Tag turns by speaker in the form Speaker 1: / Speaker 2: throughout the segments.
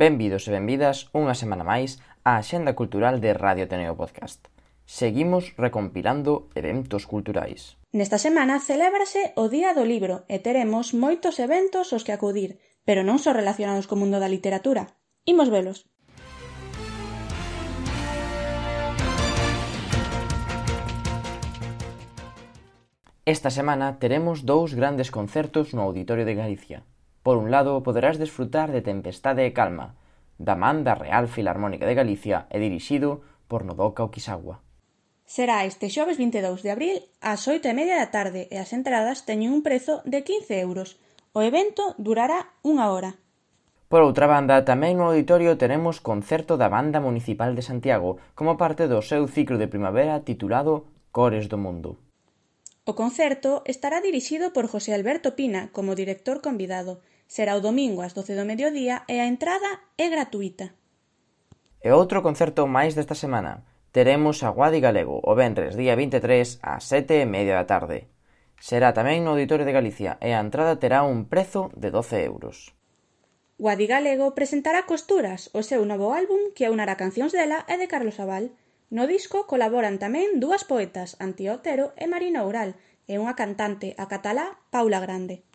Speaker 1: Benvidos e benvidas unha semana máis á Axenda Cultural de Radio Ateneo Podcast. Seguimos recompilando eventos culturais.
Speaker 2: Nesta semana celébrase o Día do Libro e teremos moitos eventos aos que acudir, pero non só relacionados co mundo da literatura. Imos velos.
Speaker 1: Esta semana teremos dous grandes concertos no Auditorio de Galicia. Por un lado, poderás desfrutar de Tempestade e Calma, da man da Real Filarmónica de Galicia e dirixido por Nodoka Okisawa.
Speaker 2: Será este xoves 22 de abril ás 8:30 da tarde e as entradas teñen un prezo de 15 euros. O evento durará unha hora.
Speaker 1: Por outra banda, tamén no auditorio teremos concerto da Banda Municipal de Santiago como parte do seu ciclo de primavera titulado Cores do Mundo.
Speaker 2: O concerto estará dirixido por José Alberto Pina como director convidado. Será o domingo ás 12 do mediodía e a entrada é gratuíta.
Speaker 1: E outro concerto máis desta semana. Teremos a Guadi Galego o venres día 23 ás 7:30 da tarde. Será tamén no Auditorio de Galicia e a entrada terá un prezo de 12 euros.
Speaker 2: Guadi Galego presentará Costuras, o seu novo álbum que aunará cancións dela e de Carlos Abal. No disco colaboran tamén dúas poetas, Antía Otero e Marina Oural, e unha cantante a catalá, Paula Grande.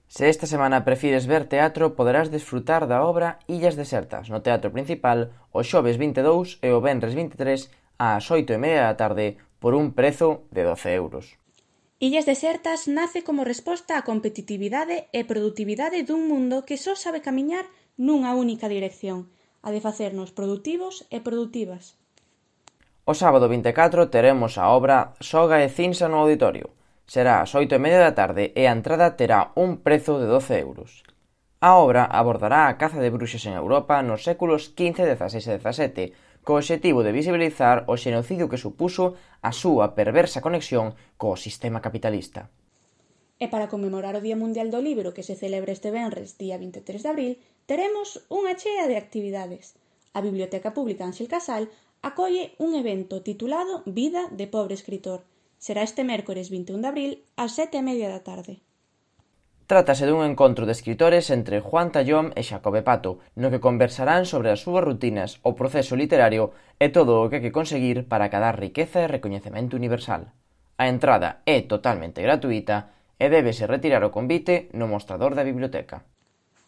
Speaker 1: Se esta semana prefires ver teatro, poderás desfrutar da obra Illas Desertas no Teatro Principal o xoves 22 e o venres 23 ás 8:30 da tarde por un prezo de 12 euros.
Speaker 2: Illas Desertas nace como resposta á competitividade e produtividade dun mundo que só sabe camiñar nunha única dirección, a de facernos produtivos e produtivas.
Speaker 1: O sábado 24 teremos a obra Soga e Cinsa no auditorio. Será ás 8:30 da tarde e a entrada terá un prezo de 12 euros. A obra abordará a caza de bruxas en Europa nos séculos XV, XVI e XVII, co obxectivo de visibilizar o xenocidio que supuso a súa perversa conexión co sistema capitalista.
Speaker 2: E para conmemorar o Día Mundial do Libro que se celebra este venres, día 23 de abril, teremos unha chea de actividades. A Biblioteca Pública Ángel Casal acolle un evento titulado Vida de pobre escritor. Será este mércores 21 de abril ás 7:30 da tarde.
Speaker 1: Trátase dun encontro de escritores entre Juan Tallón e Xacobe Pato, no que conversarán sobre as súas rutinas, o proceso literario e todo o que hai que conseguir para acadar riqueza e recoñecemento universal. A entrada é totalmente gratuíta e débese retirar o convite no mostrador da biblioteca.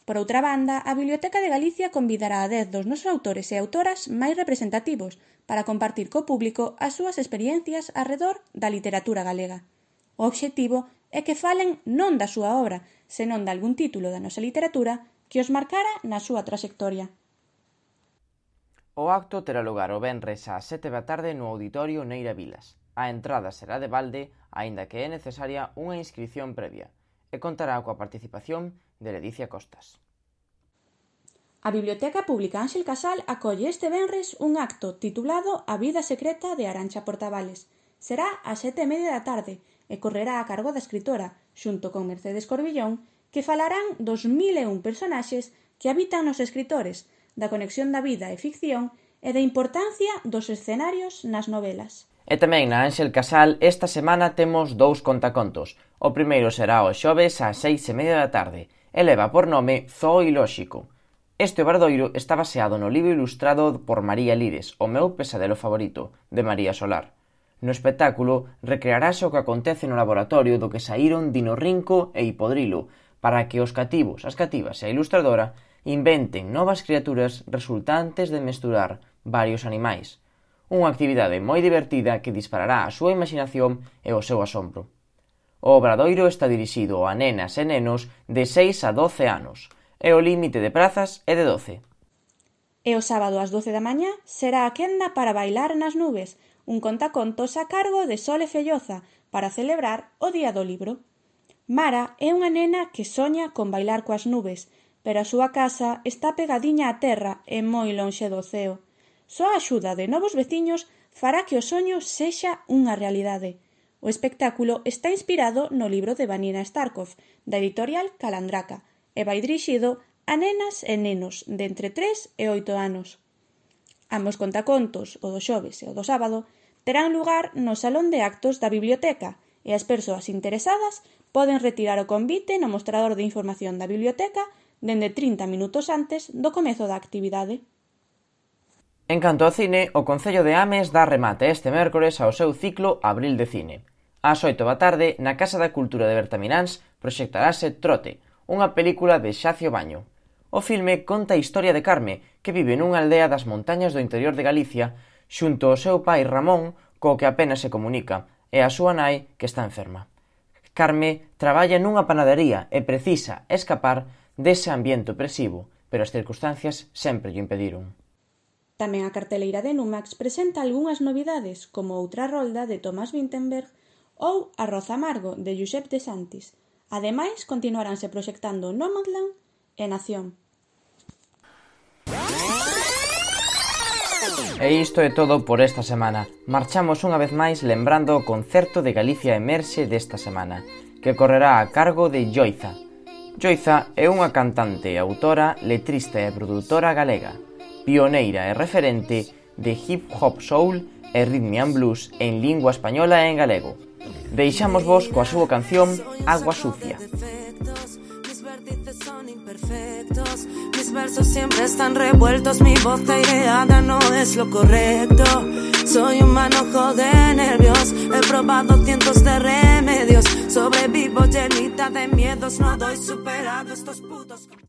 Speaker 2: Por outra banda, a Biblioteca de Galicia convidará a 10 dos nosos autores e autoras máis representativos para compartir co público as súas experiencias arredor da literatura galega. O obxectivo é que falen non da súa obra, senón de algún título da nosa literatura que os marcara na súa traxectoria.
Speaker 1: O acto terá lugar o venres ás 7 da tarde no Auditorio Neira Vilas. A entrada será de balde, aínda que é necesaria unha inscrición previa, e contará coa participación de Ledicia Costas.
Speaker 2: A Biblioteca Pública Ángel Casal acolle este venres un acto titulado A vida secreta de Arantxa Portavales. Será ás 7:30 da tarde e correrá a cargo da escritora, xunto con Mercedes Corbillón, que falarán dos 1001 personaxes que habitan nos escritores, da conexión da vida e ficción e da importancia dos escenarios nas novelas.
Speaker 1: E tamén na Ángel Casal esta semana temos dous contacontos. O primeiro será o xoves ás 6:30 da tarde e leva por nome Zoo Ilóxico. Este obradoiro está baseado no libro ilustrado por María Lires, O meu pesadelo favorito, de María Solar. No espectáculo recrearase o que acontece no laboratorio do que saíron Dinorrinco e Hipodrilo para que os cativos, as cativas e a ilustradora inventen novas criaturas resultantes de mesturar varios animais. Unha actividade moi divertida que disparará a súa imaginación e o seu asombro. O obradoiro está dirixido a nenas e nenos de 6 a 12 anos e o límite de prazas é de 12.
Speaker 2: E o sábado ás 12 da mañá será a quenda para bailar nas nubes, un contacontos a cargo de Sole Felloza para celebrar o Día do Libro. Mara é unha nena que soña con bailar coas nubes, pero a súa casa está pegadiña á terra e moi lonxe do ceo. Só a axuda de novos veciños fará que o soño sexa unha realidade. O espectáculo está inspirado no libro de Vanina Starkov, da editorial Calandraca, e vai dirixido a nenas e nenos de entre 3 e 8 anos. Ambos contacontos, o do xoves e o do sábado, terán lugar no Salón de Actos da Biblioteca e as persoas interesadas poden retirar o convite no mostrador de información da biblioteca dende 30 minutos antes do comezo da actividade.
Speaker 1: En canto ao cine, o Concello de Ames dá remate este mércores ao seu ciclo Abril de Cine. Ás 8 da tarde, na Casa da Cultura de Bertamiráns, proxectarase Trote, unha película de Xacio Baño. O filme conta a historia de Carme, que vive nunha aldea das montañas do interior de Galicia, xunto ao seu pai Ramón, co que apenas se comunica, e a súa nai, que está enferma. Carme traballa nunha panadería e precisa escapar dese ambiente opresivo, pero as circunstancias sempre lle impediron.
Speaker 2: Tamén a carteleira de Numax presenta algunhas novidades, como Outra rolda, de Tomás Vinterberg, ou Arroz amargo, de Josep de Santis. Ademais, continuaranse proxectando Nomadland e Nación.
Speaker 1: E isto é todo por esta semana. Marchamos unha vez máis lembrando o concerto de Galicia Emerxe desta semana, que correrá a cargo de Yoiza. Yoiza é unha cantante, autora, letrista e produtora galega, pioneira e referente de hip hop soul e rhythm and blues en lingua española e en galego. Deixamos vos coa súa canción Agua Sucia.
Speaker 3: Mis versos siempre están revueltos, mi voz aireada no es lo correcto. Soy un manojo de nervios, he probado cientos de remedios, sobrevivo llenita de miedos, no doy superado estos putos.